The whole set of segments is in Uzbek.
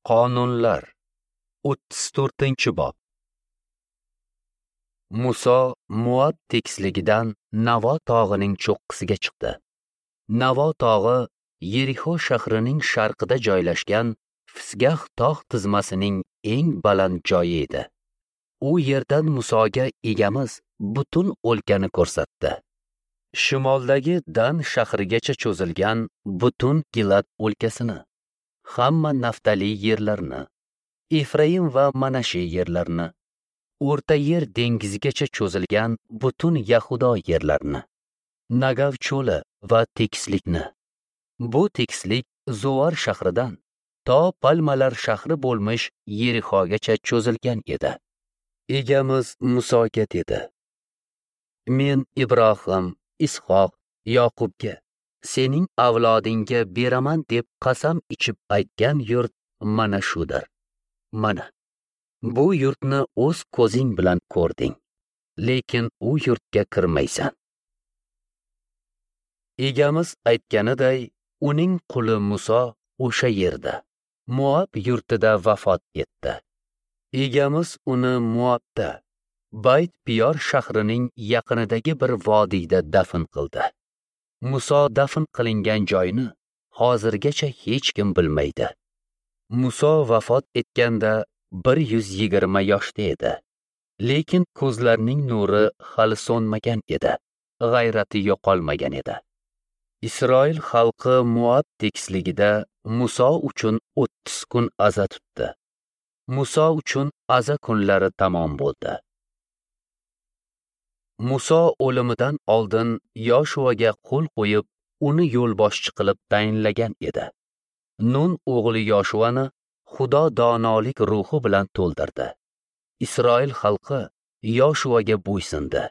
Qonunlar 34-bob. Muso Moab tekisligidan Navo tog'ining cho'qqisiga chiqdi. Navo tog'i Yerixo shahrining sharqida joylashgan Fisgah tog' tizmasining eng baland joyi edi. U yerdan Musoga Egamiz butun o'lkani ko'rsatdi. Shimoldagi Dan shahrigacha cho'zilgan butun Gilad o'lkasini, hamma Naftali yerlarini, Efraim va Manashi yerlarini, O'rta Yer dengizigacha cho'zilgan butun Yahudo yerlarini, Nagav cho'li va tekislikni. Bu tekislik Zoar shahridan to Palmalar shahri bo'lmish Yerixogacha cho'zilgan edi. Egamiz Musoga dedi: Men Ibrohim, Ishoq, Yoqubga, sening avlodingga beraman deb qasam ichib aytgan yurt mana shudir. Mana bu yurtni o'z ko'zing bilan ko'rding, lekin u yurtga kirmaysan. Egamiz aytganiday, uning quli Muso o'sha yerda, Moab yurtida vafot etdi. Egamiz uni Moabda, Bayt Piyor shahrining yaqinidagi bir vodiyda dafn qildi. Muso dafn qilingan joyni hozirgacha hech kim bilmaydi. Muso vafot etganda 120 yoshda edi. Lekin ko'zlarining nuri hali so'nmagan edi, g'ayrati yo'qolmagan edi. Isroil xalqi Moab tekisligida Muso uchun 30 kun aza tutdi. Muso uchun aza kunlari tamom bo'ldi. Muso o'limidan oldin Yoshuaga qo'l qo'yib, uni yo'lboshchi qilib tayinlagan edi. Nun o'g'li Yoshuani Xudo donolik ruhi bilan to'ldirdi. Isroil xalqi Yoshuaga bo'ysundi.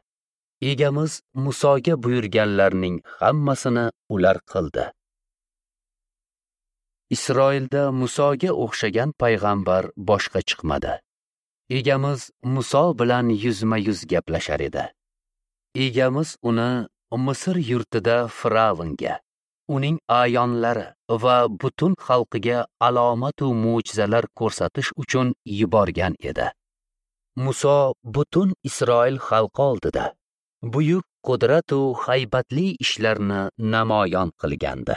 Egamiz Musoga buyurganlarning hammasini ular qildi. Isroilda Musoga o'xshagan payg'ambar boshqa chiqmadi. Egamiz Muso bilan yuzma-yuz gaplashar edi. Egamiz uni Misr yurtida Firavnga, uning ayonlari va butun xalqiga alomatu mo'jizalar ko'rsatish uchun yuborgan edi. Muso butun Isroil xalqi oldida buyuk qudratu haybatli ishlarni namoyon qilgandi.